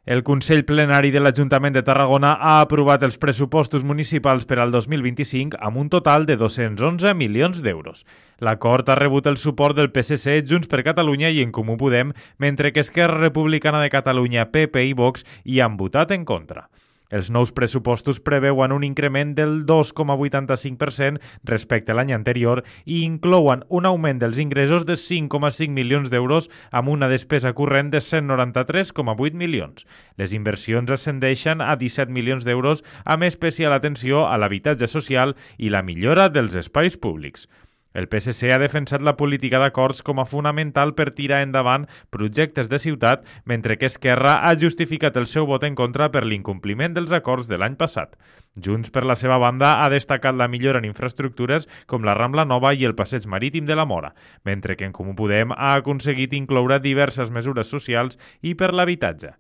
El Consell Plenari de l'Ajuntament de Tarragona ha aprovat els pressupostos municipals per al 2025 amb un total de 211 milions d'euros. L'acord ha rebut el suport del PSC, Junts per Catalunya i En Comú Podem, mentre que Esquerra Republicana de Catalunya, PP i Vox hi han votat en contra. Els nous pressupostos preveuen un increment del 2,85% respecte a l'any anterior i inclouen un augment dels ingressos de 5,5 milions d'euros amb una despesa corrent de 193,8 milions. Les inversions ascendeixen a 17 milions d'euros amb especial atenció a l'habitatge social i la millora dels espais públics. El PSC ha defensat la política d'acords com a fonamental per tirar endavant projectes de ciutat, mentre que Esquerra ha justificat el seu vot en contra per l'incompliment dels acords de l'any passat. Junts, per la seva banda, ha destacat la millora en infraestructures com la Rambla Nova i el passeig marítim de la Mora, mentre que En Comú Podem ha aconseguit incloure diverses mesures socials i per l'habitatge.